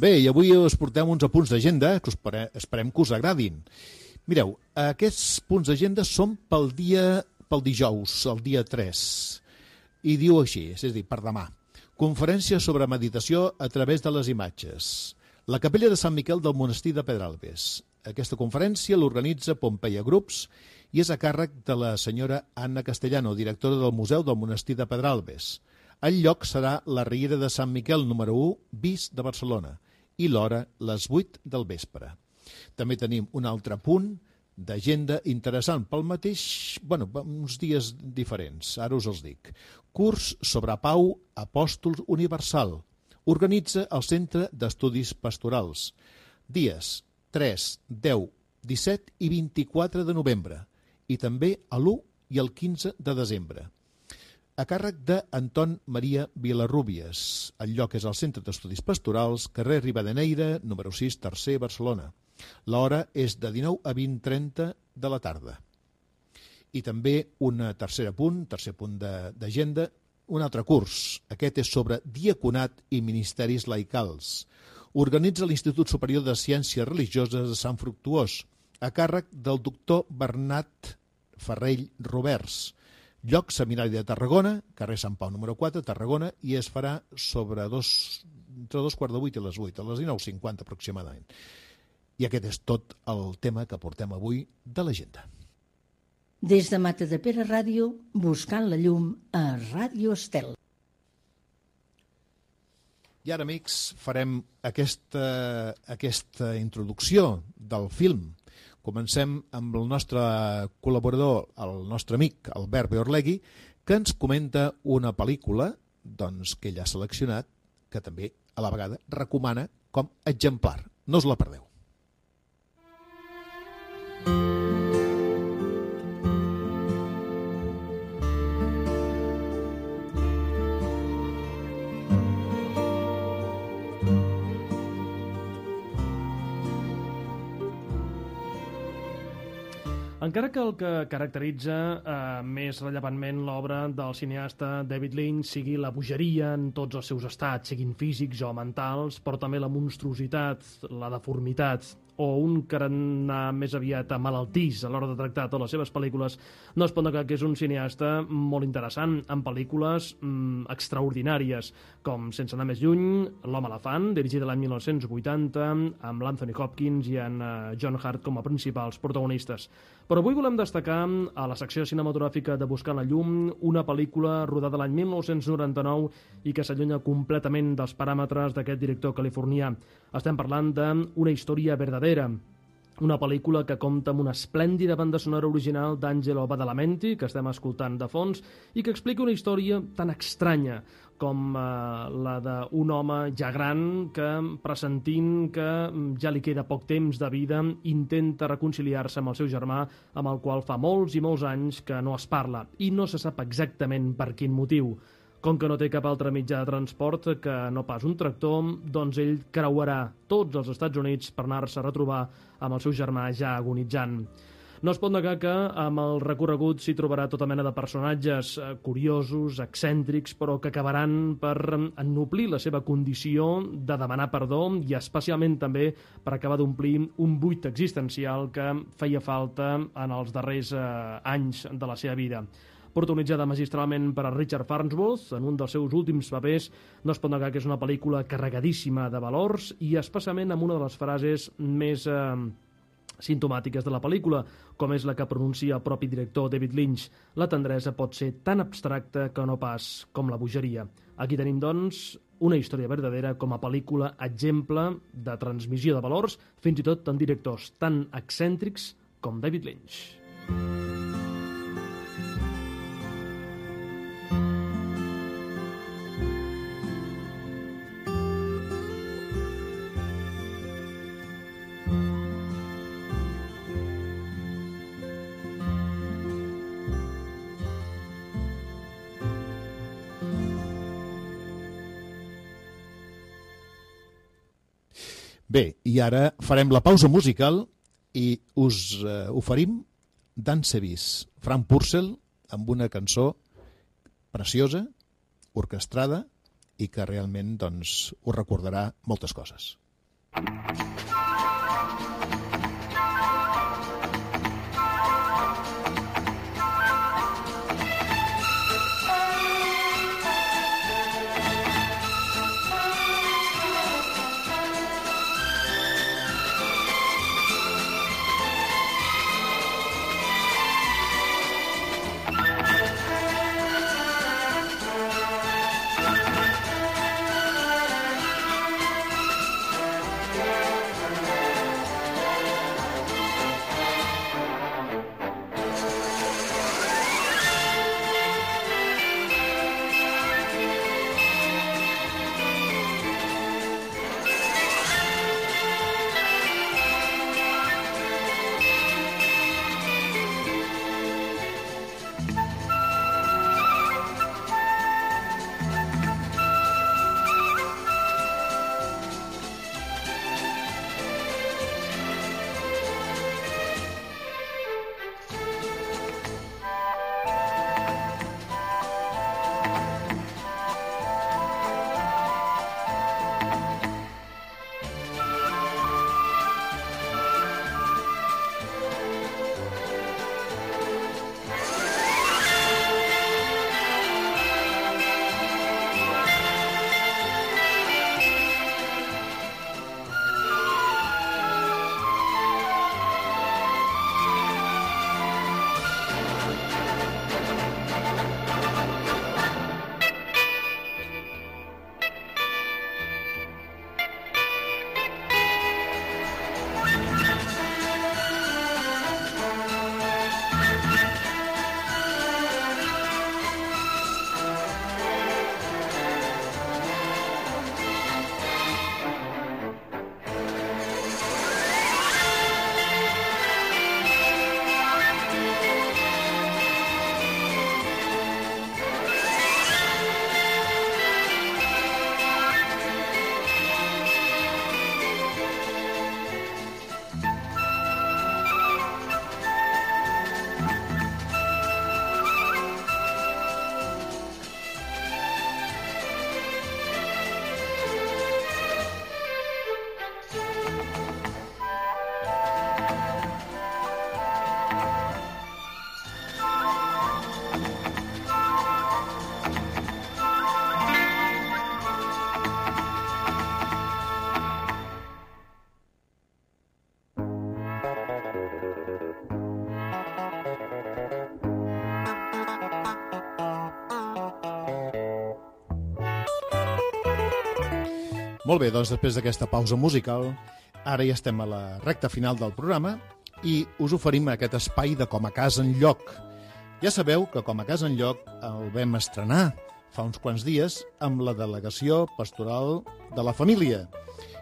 Bé, i avui us portem uns apunts d'agenda que esperem que us agradin. Mireu, aquests punts d'agenda són pel dia, pel dijous, el dia tres, i diu així, és a dir, per demà. Conferència sobre meditació a través de les imatges. La capella de Sant Miquel del monestir de Pedralbes. Aquesta conferència l'organitza Pompeia Grups i és a càrrec de la senyora Anna Castellano, directora del Museu del Monestir de Pedralbes. El lloc serà la Riera de Sant Miquel número u bis de Barcelona i l'hora les vuit del vespre. També tenim un altre punt d'agenda interessant pel mateix, bueno, uns dies diferents, ara us els dic. Curs sobre Pau Apòstol Universal. Organitza el Centre d'Estudis Pastorals. Dies tres, deu, disset i vint-i-quatre de novembre i també a l'u i el quinze de desembre. A càrrec d'Anton Maria Vilarrúbies. El lloc és el Centre d'Estudis Pastorals, carrer Rivadeneyra, número sis, tercer, Barcelona. L'hora és de dinou a vint trenta de la tarda. I també un tercer punt, tercer punt d'agenda, un altre curs. Aquest és sobre diaconat i ministeris laicals. Organitza l'Institut Superior de Ciències Religioses de Sant Fructuós, a càrrec del doctor Bernat Ferrell Roberts. Lloc Seminari de Tarragona, carrer Sant Pau número quatre, Tarragona, i es farà sobre dos, entre dos quarts de vuit i les vuit, a les dinou cinquanta aproximadament. I aquest és tot el tema que portem avui de l'agenda. Des de Matadepera Ràdio, buscant la llum a Ràdio Estel. I ara, amics, farem aquesta, aquesta introducció del film. Comencem amb el nostre col·laborador, el nostre amic Albert Beorlegui, que ens comenta una pel·lícula doncs, que ell ha seleccionat, que també a la vegada recomana com exemplar. No us la perdeu. Encara que el que caracteritza eh, més rellevantment l'obra del cineasta David Lynch sigui la bogeria en tots els seus estats, siguin físics o mentals, però també la monstruositat, la deformitat, o un carannà més aviat malaltís a l'hora de tractar totes les seves pel·lícules, no es pot negar que és un cineasta molt interessant, amb pel·lícules mm, extraordinàries, com Sense anar més lluny, L'home elefant, dirigida l'any mil nou-cents vuitanta, amb l'Anthony Hopkins i en uh, John Hurt com a principals protagonistes. Però avui volem destacar a la secció cinematogràfica de Buscant la llum una pel·lícula rodada l'any mil nou-cents noranta-nou i que s'allunya completament dels paràmetres d'aquest director californià. Estem parlant d'Una història verdadera, una pel·lícula que compta amb una esplèndida banda sonora original d'Angelo Badalamenti, que estem escoltant de fons, i que explica una història tan estranya com eh, la d'un home ja gran que, pressentint que ja li queda poc temps de vida, intenta reconciliar-se amb el seu germà, amb el qual fa molts i molts anys que no es parla, i no se sap exactament per quin motiu. Com que no té cap altre mitjà de transport que no pas un tractor, doncs ell creuarà tots els Estats Units per anar-se a retrobar amb el seu germà ja agonitzant. No es pot negar que amb el recorregut s'hi trobarà tota mena de personatges curiosos, excèntrics, però que acabaran per ennoblir la seva condició de demanar perdó i especialment també per acabar d'omplir un buit existencial que feia falta en els darrers eh, anys de la seva vida. Protagonitzada magistralment per a Richard Farnsworth, en un dels seus últims papers, no es pot negar que és una pel·lícula carregadíssima de valors i especialment amb una de les frases més eh, simptomàtiques de la pel·lícula, com és la que pronuncia el propi director David Lynch. La tendresa pot ser tan abstracta que no pas com la bogeria. Aquí tenim, doncs, Una història verdadera com a pel·lícula exemple de transmissió de valors, fins i tot en directors tan excèntrics com David Lynch. Bé, i ara farem la pausa musical i us eh, oferim Danse bis, Frank Purcell, amb una cançó preciosa, orquestrada i que realment doncs, us recordarà moltes coses. Molt bé, doncs després d'aquesta pausa musical, ara ja estem a la recta final del programa i us oferim aquest espai de Com a Casa Enlloc. Ja sabeu que Com a Casa Enlloc el vam estrenar fa uns quants dies amb la delegació pastoral de la família.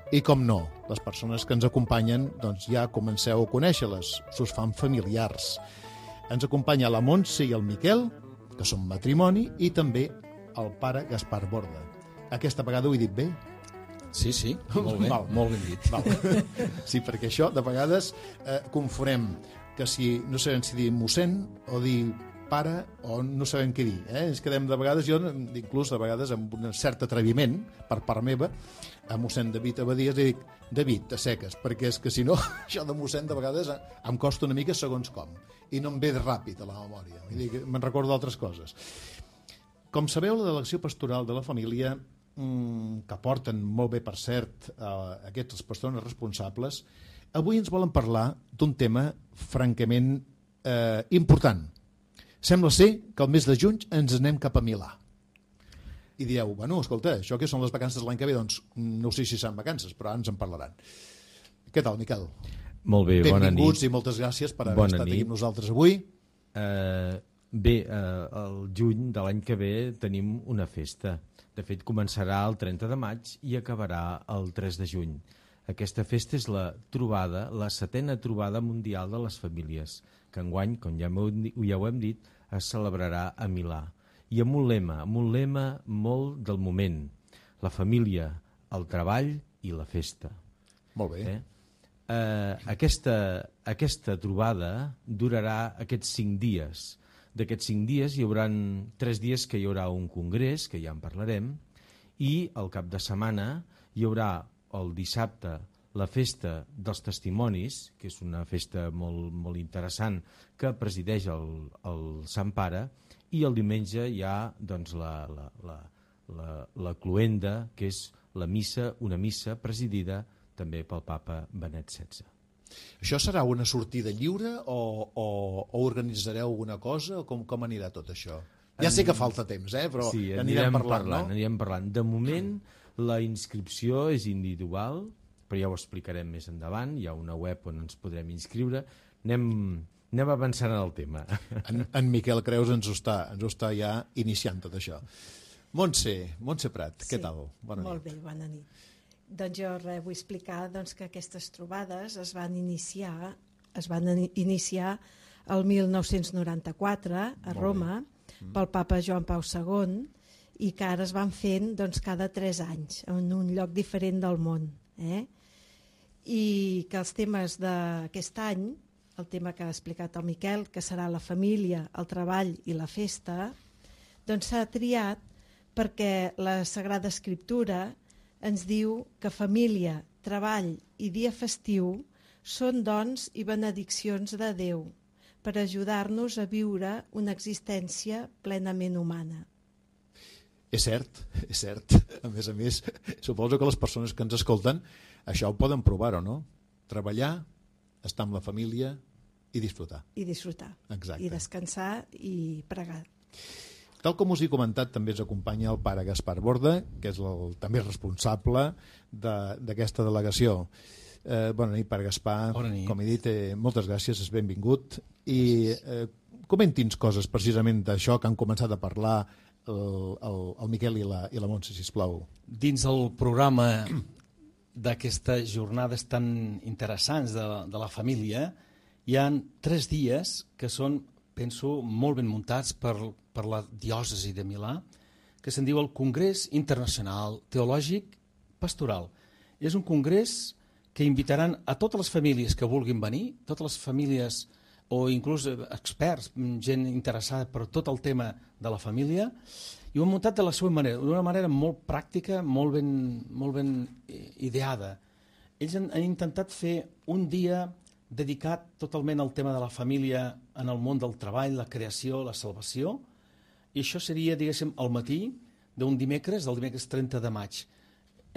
I com no, les persones que ens acompanyen doncs ja comenceu a conèixer-les, s'us fan familiars. Ens acompanya la Montse i el Miquel, que són matrimoni, i també el pare Gaspar Borda. Aquesta vegada ho he dit bé? Sí, sí, molt bé, Val. molt ben dit. Val. Sí, perquè això de vegades eh, confonem que si no sabem si dir mossèn o dir pare o no sabem què dir. Eh? Ens quedem de vegades, jo inclús de vegades amb un cert atreviment per part meva, a mossèn David Abadies li dic David, a seques, perquè és que si no, això de mossèn de vegades em costa una mica segons com, i no em ve ràpid a la memòria, vull dir que me'n recordo d'altres coses. Com sabeu, la delegació pastoral de la família, que porten molt bé, per cert, aquestes persones responsables, avui ens volen parlar d'un tema francament eh, important. Sembla ser que el mes de juny ens anem cap a Milà. I dieu, bueno, escolta, això que són les vacances de l'any que ve? Doncs no sé si seran vacances, però ara ens en parlaran. Què tal, Miquel? Molt bé, bona nit. Benvinguts i moltes gràcies per haver bona estat nit. aquí amb nosaltres avui. Uh, bé, uh, el juny de l'any que ve tenim una festa. De fet, començarà el trenta de maig i acabarà el tres de juny. Aquesta festa és la trobada, la setena trobada mundial de les famílies, que enguany, com ja, ja ho hem dit, es celebrarà a Milà. I amb un lema, amb un lema molt del moment. La família, el treball i la festa. Molt bé. Eh? Uh, aquesta, aquesta trobada durarà aquests cinc dies. D'aquests cinc dies hi haurà tres dies que hi haurà un congrés, que ja en parlarem, i al cap de setmana hi haurà el dissabte la festa dels testimonis, que és una festa molt, molt interessant que presideix el, el Sant Pare, i el diumenge hi ha doncs, la, la, la, la, la cloenda, que és la missa, una missa presidida també pel papa Benet setze. Això serà una sortida lliure o, o, o organitzareu alguna cosa o com, com anirà tot això? Ja sé que falta temps, eh? Però sí, anirem, anirem parlant, parlant, no? anirem parlant. De moment la inscripció és individual, però ja ho explicarem més endavant, hi ha una web on ens podrem inscriure. Anem, anem avançant en el tema. En, en Miquel Creus ens ho, està, ens ho està ja iniciant tot això. Montse, Montse Prat, sí, què tal? Bona molt nit. bé, bona nit. Doncs jo res, vull explicar doncs, que aquestes trobades es van iniciar es van iniciar el mil nou-cents noranta-quatre a Roma mm. pel papa Joan Pau segon i que ara es van fent doncs, cada tres anys en un lloc diferent del món. Eh? I que els temes d'aquest any, el tema que ha explicat el Miquel, que serà la família, el treball i la festa, doncs s'ha triat perquè la Sagrada Escriptura ens diu que família, treball i dia festiu són dons i benediccions de Déu per ajudar-nos a viure una existència plenament humana. És cert, és cert. A més a més, suposo que les persones que ens escolten això ho poden provar o no? Treballar, estar amb la família i disfrutar. I disfrutar. Exacte. I descansar i pregar. Tal com us he comentat, també ens acompanya el pare Gaspar Borda, que és el, també responsable d'aquesta de, delegació. Eh, bona nit, pare Gaspar. Bona nit. Com he dit, eh, moltes gràcies, és benvingut. I eh, comenti'ns coses precisament d'això que han començat a parlar el, el, el Miquel i la, i la Montse, sisplau. Dins del programa d'aquestes jornades tan interessants de, de la família, hi ha tres dies que són, penso, molt ben muntats per, per la diòcesi de Milà, que se'n diu el Congrés Internacional Teològic Pastoral. És un congrés que invitaran a totes les famílies que vulguin venir, totes les famílies o inclús experts, gent interessada per tot el tema de la família, i ho han muntat de la seva manera, d'una manera molt pràctica, molt ben, molt ben ideada. Ells han, han intentat fer un dia dedicat totalment al tema de la família en el món del treball, la creació, la salvació, i això seria, diguéssim, al matí d'un dimecres, del dimecres trenta de maig.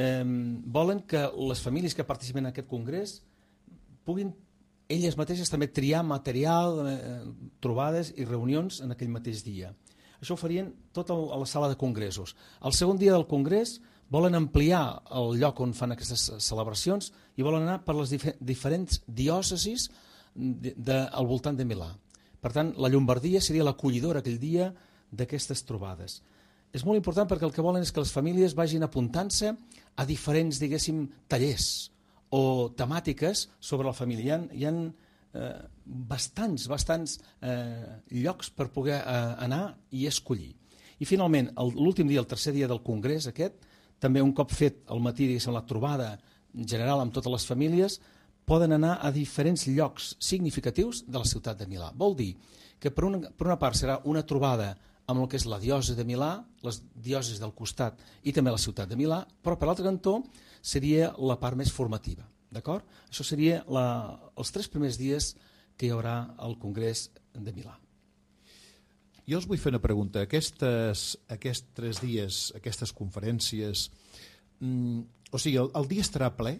Eh, volen que les famílies que participen en aquest congrés puguin elles mateixes també triar material, eh, trobades i reunions en aquell mateix dia. Això ho farien tot a la sala de congressos. El segon dia del congrés volen ampliar el lloc on fan aquestes celebracions i volen anar per les dif diferents diòcesis de, de, al voltant de Milà. Per tant, la Llombardia seria l'acollidora aquell dia d'aquestes trobades. És molt important perquè el que volen és que les famílies vagin apuntant-se a diferents, diguéssim, tallers o temàtiques sobre la família. Hi ha, hi ha eh, bastants, bastants eh, llocs per poder eh, anar i escollir. I finalment, l'últim dia, el tercer dia del congrés aquest, també un cop fet al matí, diguéssim, la trobada general amb totes les famílies, poden anar a diferents llocs significatius de la ciutat de Milà. Vol dir que per una, per una part serà una trobada amb el que és la diòcesi de Milà, les diòcesis del costat i també la ciutat de Milà, però per l'altre cantó seria la part més formativa. D'acord? Això seria la, els tres primers dies que hi haurà al Congrés de Milà. Jo us vull fer una pregunta. Aquestes, aquests tres dies, aquestes conferències, mm, o sigui, el, el dia estarà ple?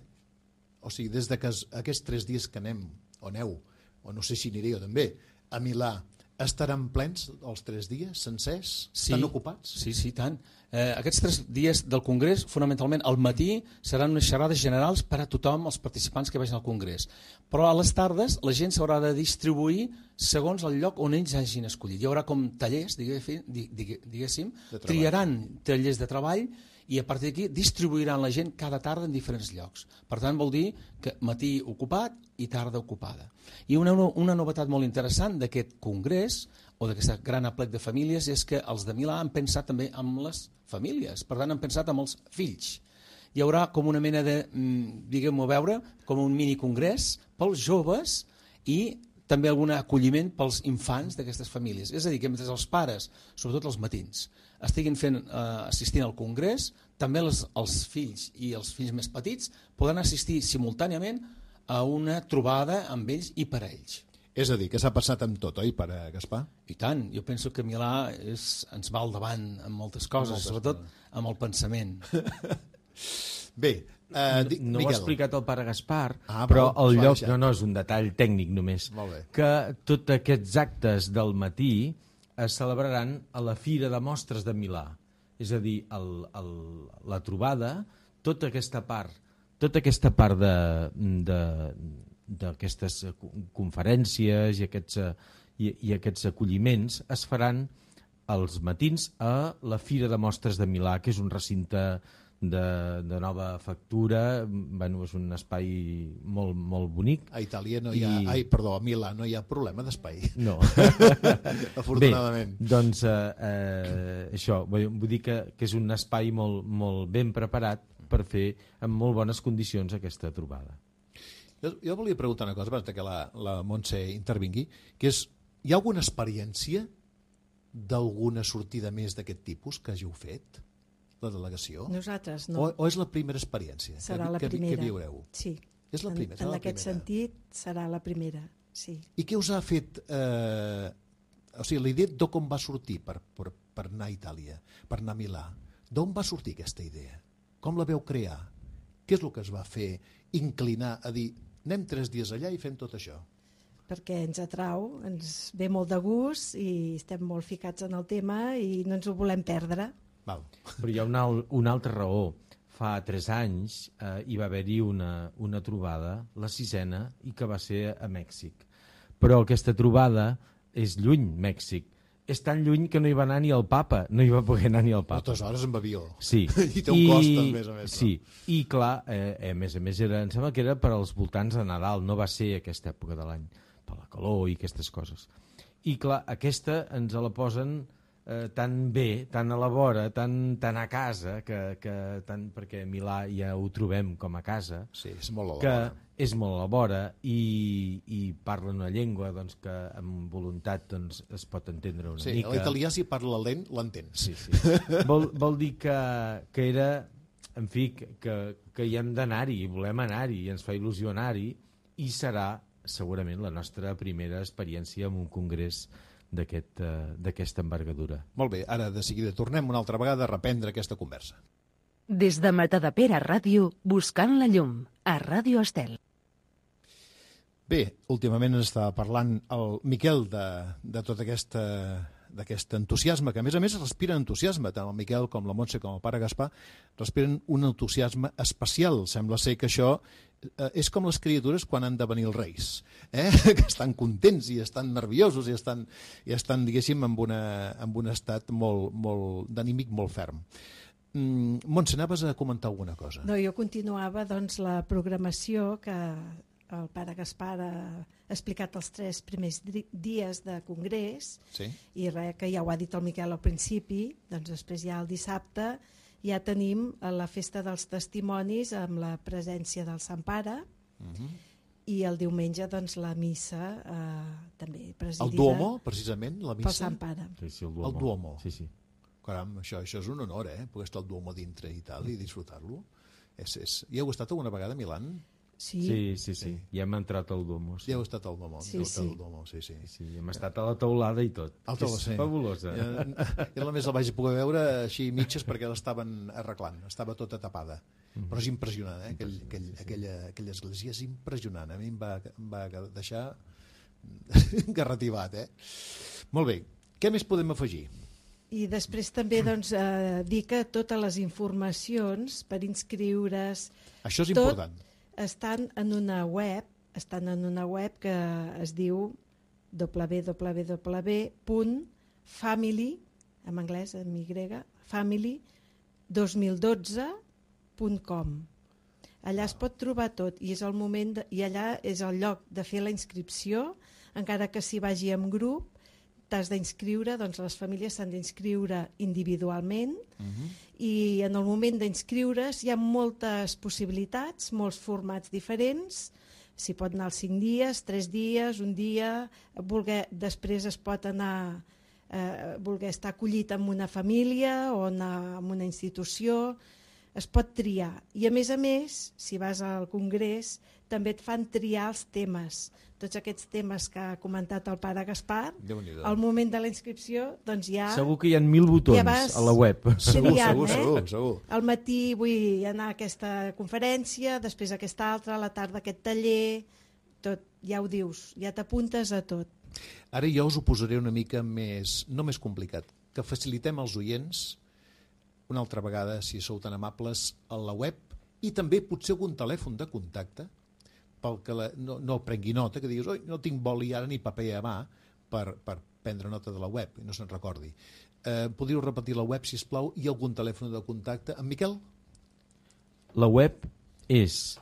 O sigui, des de que es, aquests tres dies que anem, o aneu, o no sé si aniré jo també, a Milà, estaran plens els tres dies sencers? Sí, estan ocupats? Sí, sí, tant. Eh, aquests tres dies del Congrés, fonamentalment al matí, seran unes xerrades generals per a tothom, els participants que vagin al Congrés. Però a les tardes la gent s'haurà de distribuir segons el lloc on ells hagin escollit. Hi haurà com tallers, diguéssim, triaran tallers de treball i a partir d'aquí distribuiran la gent cada tarda en diferents llocs. Per tant, vol dir que matí ocupat i tarda ocupada. I una, una novetat molt interessant d'aquest congrés o d'aquest gran aplec de famílies és que els de Milà han pensat també amb les famílies, per tant han pensat amb els fills. Hi haurà com una mena de, diguem-ho a veure, com un mini congrés pels joves i també algun acolliment pels infants d'aquestes famílies. És a dir, que mentre els pares, sobretot els matins, estiguin fent, eh, assistint al congrés, també els, els fills i els fills més petits poden assistir simultàniament a una trobada amb ells i per a ells. És a dir, que s'ha passat amb tot, oi, per a Gaspar? I tant, jo penso que Milà és, ens va al davant en moltes coses, moltes sobretot coses. Amb el pensament. Bé, Uh, di, no, no ho ha explicat el pare Gaspar, ah, però el lloc, no, no, és un detall tècnic només, que tots aquests actes del matí es celebraran a la Fira de Mostres de Milà. És a dir, el, el, la trobada, tota aquesta part, tota aquesta part d'aquestes conferències i aquests, i, i aquests acolliments es faran els matins a la Fira de Mostres de Milà, que és un recinte De, de nova factura. Bueno, és un espai molt, molt bonic. A Itàlia no hi ha, I... ai, perdó, a Milà no hi ha problema d'espai. No. Afortunadament. Bé, doncs eh, eh, això, vull, vull dir que, que és un espai molt, molt ben preparat per fer en molt bones condicions aquesta trobada. Jo, jo volia preguntar una cosa abans que la, la Montse intervingui, que és, hi ha alguna experiència d'alguna sortida més d'aquest tipus que hàgiu fet? La delegació? Nosaltres no. O, o és la primera experiència serà que, la que, primera. que viureu? Sí. És la primera, en en la aquest primera. sentit serà la primera, sí. I què us ha fet... Eh, o sigui, la idea d'on va sortir per, per, per anar a Itàlia, per anar a Milà? D'on va sortir aquesta idea? Com la veu crear? Què és el que es va fer inclinar a dir anem tres dies allà i fem tot això? Perquè ens atrau, ens ve molt de gust i estem molt ficats en el tema i no ens ho volem perdre. Val. Però hi ha una, una altra raó. Fa tres anys eh, hi va haver-hi una, una trobada, la sisena, i que va ser a Mèxic. Però aquesta trobada és lluny, Mèxic. És tan lluny que no hi va anar ni el papa, no hi va poder anar ni el papa. Moltes hores amb avió. Sí. I té un I, cost, a més a més. Sí, i clar, eh, a més a més, era, em sembla que era per als voltants de Nadal, no va ser aquesta època de l'any, per la calor i aquestes coses. I clar, aquesta ens la posen... Eh, tan bé, tan a la vora, tan, tan a casa, que, que tant, perquè a Milà ja ho trobem com a casa, sí, és molt a la que vora. és molt a la vora i, i parlen una llengua doncs, que amb voluntat doncs, es pot entendre una sí, mica. Sí, l'italià si parla lent l'entens. Sí, sí. vol, vol dir que, que era, en fi, que, que hi hem d'anar-hi, volem anar-hi, i ens fa il·lusió anar-hi, i serà segurament la nostra primera experiència en un congrés d'aquesta envergadura. Molt bé, ara de seguida tornem una altra vegada a reprendre aquesta conversa. Des de Matadepera Ràdio, buscant la llum, a Ràdio Estel. Bé, últimament ens estava parlant el Miquel de, de tota aquesta d'aquest entusiasme, que a més a més respiren entusiasme, tant el Miquel com la Montse com el pare Gaspar respiren un entusiasme especial. Sembla ser que això eh, és com les criatures quan han de venir els reis, eh? que estan contents i estan nerviosos i estan, i estan diguéssim, en, una, en un estat molt, molt d'anímic molt ferm. Mm, Montse, anaves a comentar alguna cosa? No, jo continuava doncs, la programació que el pare Gaspar ha explicat els tres primers dies de congrés, sí. I res, que ja ho ha dit el Miquel al principi, doncs després ja el dissabte ja tenim la festa dels testimonis amb la presència del Sant Pare, uh-huh. I el diumenge doncs, la missa eh, també presidida el Duomo, precisament, la missa? Pel Sant Pare. Sí, sí, el Duomo. El Duomo. Sí, sí. Caram, això, això és un honor, eh? Poder estar al Duomo dintre i tal, i disfrutar-lo. És, és... Hi heu estat alguna vegada a Milán? Sí. Sí, sí, sí. Ja hem entrat al Duomo. Sí. Ja heu estat al Duomo. Sí, sí. Al Duomo, sí, sí. Sí, hem estat a la teulada i tot. El taula, és sí. fabulosa. Jo, jo només la vaig poder veure així mitges perquè l'estaven arreglant, estava tota tapada. Mm-hmm. Però és impressionant, eh? Aquell, aquell, aquella, aquella església és impressionant. A mi em va, em va deixar garrativat, eh? Molt bé. Què més podem afegir? I després també doncs, eh, dir que totes les informacions per inscriure's... Això és tot, important. Estan en una web, estan en una web que es diu w w w punt family, en anglès, en Y, family dos mil dotze punt com. Allà es pot trobar tot i, és el moment de, i allà és el lloc de fer la inscripció, encara que s'hi vagi en grup, t'has d'inscriure, doncs les famílies s'han d'inscriure individualment, uh-huh. I en el moment d'inscriure's hi ha moltes possibilitats, molts formats diferents, s'hi pot anar els cinc dies, tres dies, un dia, voler, després es pot anar, eh, voler estar acollit en una família o anar en una institució, es pot triar. I a més a més, si vas al congrés, també et fan triar els temes. Tots aquests temes que ha comentat el pare Gaspar, al moment de la inscripció, doncs ja... Segur que hi ha mil botons ja a la web. Segur, triant, segur, eh? segur, segur. Al matí vull anar a aquesta conferència, després a aquesta altra, a la tarda aquest taller, tot, ja ho dius, ja t'apuntes a tot. Ara jo us ho posaré una mica més, no més complicat, que facilitem als oients, una altra vegada, si sou tan amables, a la web, i també potser algun telèfon de contacte, pel que la, no, no el prengui nota, que diguis, oi, no tinc boli ara ni paper a mà per, per prendre nota de la web, i no se'n recordi. Eh, podríeu repetir la web, si us plau, i algun telèfon de contacte. En Miquel? La web és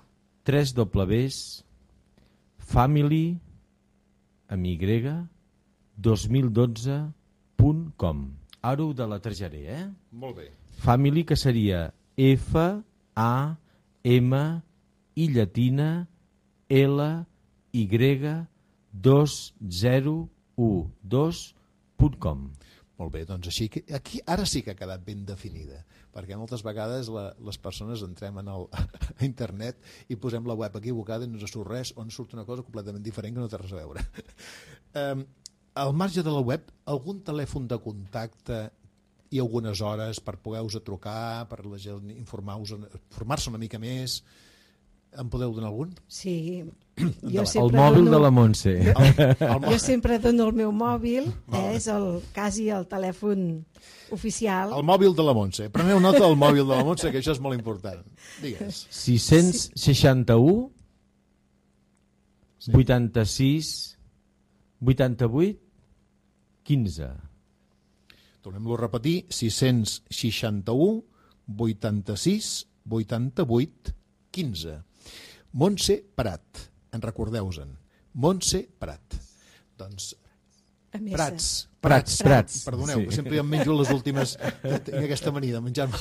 w w w punt family amb Y dos mil dotze punt com. Ara ho deletrejaré, eh? Molt bé. Family, que seria F A M I llatina L Y dos zero u dos punt com. Molt bé, doncs així que aquí ara sí que ha quedat ben definida, perquè moltes vegades la, les persones entrem en el, a internet i posem la web equivocada i no ens surt res o ens surt una cosa completament diferent que no té res a veure. um, al marge de la web, algun telèfon de contacte i algunes hores per poder-vos a trucar, per la gent informar-se informar-se una mica més... En podeu donar algun? Sí. Jo el mòbil dono... de la Montse. El, el jo sempre dono el meu mòbil, eh, és el, quasi el telèfon oficial. El mòbil de la Montse. Preneu nota del mòbil de la Montse, que això és molt important. Digues. sis seixanta-u vuitanta-sis vuitanta-vuit quinze. Tornem-lo a repetir. sis seixanta-u vuitanta-sis vuitanta-vuit quinze. Montse Prat, en recordeu-se'n. Montse Prat. Doncs Prats. Prats. Prats, Prats. Perdoneu, sí. Sempre em menjo les últimes... Tinc aquesta mania de menjar-me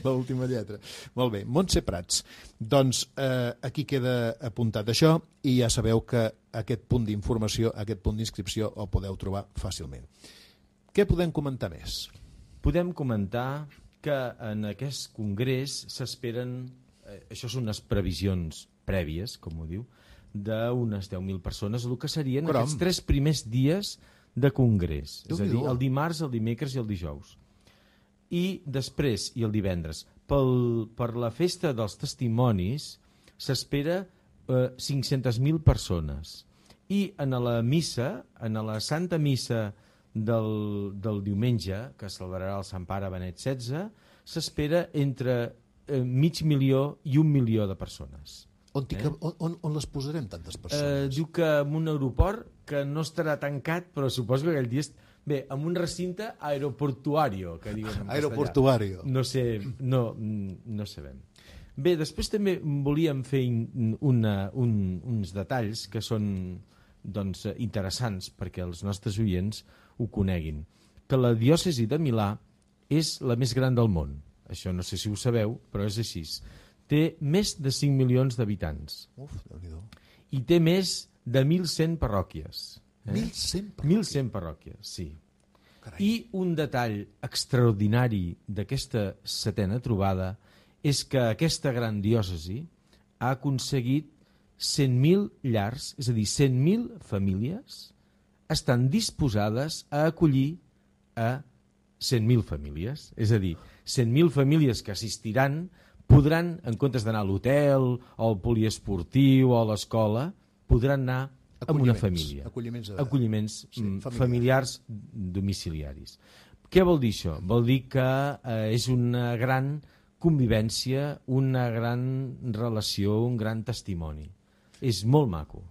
l'última lletra. Molt bé, Montse Prats. Doncs eh, aquí queda apuntat això i ja sabeu que aquest punt d'informació, aquest punt d'inscripció el podeu trobar fàcilment. Què podem comentar més? Podem comentar que en aquest congrés s'esperen... Això són unes previsions prèvies, com ho diu, d'unes deu mil persones, el que serien Caram. Aquests tres primers dies de congrés. És a dir, el dimarts, el dimecres i el dijous. I després, i el divendres, pel, per la festa dels testimonis, s'espera eh, cinc-centes mil persones. I en la missa, en la Santa Missa del, del diumenge, que celebrarà el Sant Pare Benet setze, s'espera entre eh, mig milió i un milió de persones. On, eh? on, on, on les posarem, tantes persones? Eh, diu que en un aeroport que no estarà tancat, però suposo que aquell dia... Est... Bé, en un recinte aeroportuario, que diuen en aeroportuario. No sé, no, no sabem. Bé, després també volíem fer una, un, uns detalls que són doncs, interessants perquè els nostres oients ho coneguin. Que la diòcesi de Milà és la més gran del món. Això no sé si ho sabeu, però és així. Té més de cinc milions d'habitants. Uf, Déu-n'hi-do. I té més de mil cent parròquies. Eh? mil cent parròquies? mil cent parròquies, sí. Carai. I un detall extraordinari d'aquesta setena trobada és que aquesta gran diòcesi ha aconseguit cent mil llars, és a dir, cent mil famílies, estan disposades a acollir a cent mil famílies. És a dir, cent mil famílies que assistiran podran, en comptes d'anar a l'hotel, o al poliesportiu, o a l'escola, podran anar amb una família. Acolliments, de... acolliments sí, familiars. familiars domiciliaris. Què vol dir això? Vol dir que eh, és una gran convivència, una gran relació, un gran testimoni. És molt maco.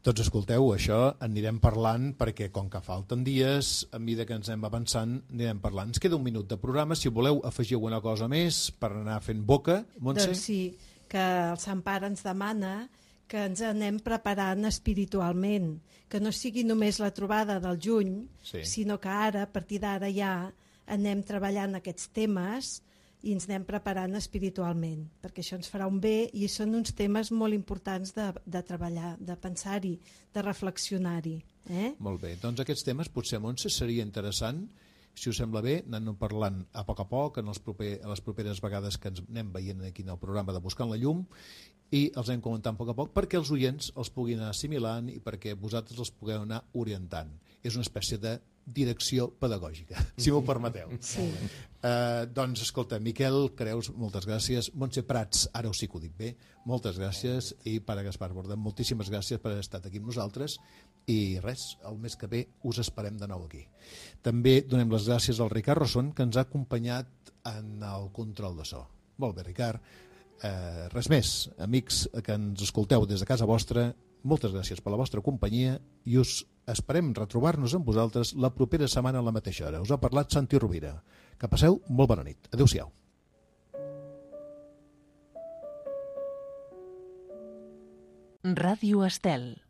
Tots escolteu, això anirem parlant perquè com que falten dies, a mesura que ens anem avançant, anirem parlant. Ens queda un minut de programa, si voleu afegir alguna cosa més per anar fent boca. Montse? Doncs sí, que el Sant Pare ens demana que ens anem preparant espiritualment, que no sigui només la trobada del juny, sí. sinó que ara, a partir d'ara ja, anem treballant aquests temes i ens anem preparant espiritualment, perquè això ens farà un bé i són uns temes molt importants de, de treballar, de pensar-hi, de reflexionar-hi. Eh? Molt bé, doncs aquests temes potser, Montse, seria interessant, si us sembla bé, anem parlant a poc a poc en els proper, a les properes vegades que ens anem veient aquí en el programa de Buscant la Llum, i els anem comentant a poc a poc perquè els oients els puguin anar assimilant i perquè vosaltres els pugueu anar orientant. És una espècie de direcció pedagògica, si m'ho permeteu. Sí. Uh, doncs, escolta, Miquel Creus, moltes gràcies. Montse Prats, ara ho sí que ho dic bé, moltes gràcies. I Pare Gaspar Borda, moltíssimes gràcies per haver estat aquí amb nosaltres. I res, el mes que ve us esperem de nou aquí. També donem les gràcies al Ricard Rosson, que ens ha acompanyat en el control de so. Molt bé, Ricard. Eh, res més, amics que ens escolteu des de casa vostra, moltes gràcies per la vostra companyia i us esperem retrobar-nos amb vosaltres la propera setmana a la mateixa hora. Us ha parlat Santi Rovira. Que passeu molt bona nit. Adéu-siau. Ràdio Estel.